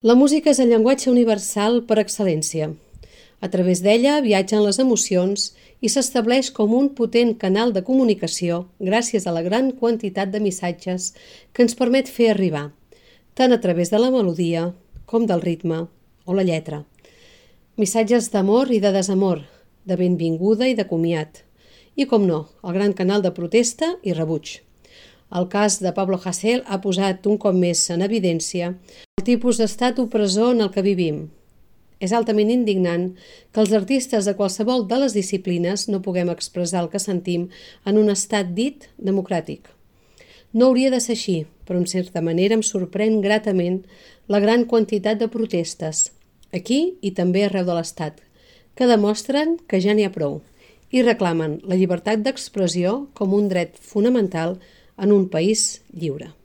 La música és el llenguatge universal per excel·lència. A través d'ella viatgen les emocions i s'estableix com un potent canal de comunicació gràcies a la gran quantitat de missatges que ens permet fer arribar, tant a través de la melodia com del ritme o la lletra. Missatges d'amor i de desamor, de benvinguda i de comiat, i com no, el gran canal de protesta i rebuig. El cas de Pablo Hasél ha posat un cop més en evidència el tipus d'estat opressor en el que vivim. És altament indignant que els artistes de qualsevol de les disciplines no puguem expressar el que sentim en un estat dit democràtic. No hauria de ser així, però en certa manera em sorprèn gratament la gran quantitat de protestes, aquí i també arreu de l'estat, que demostren que ja n'hi ha prou i reclamen la llibertat d'expressió com un dret fonamental en un país lliure.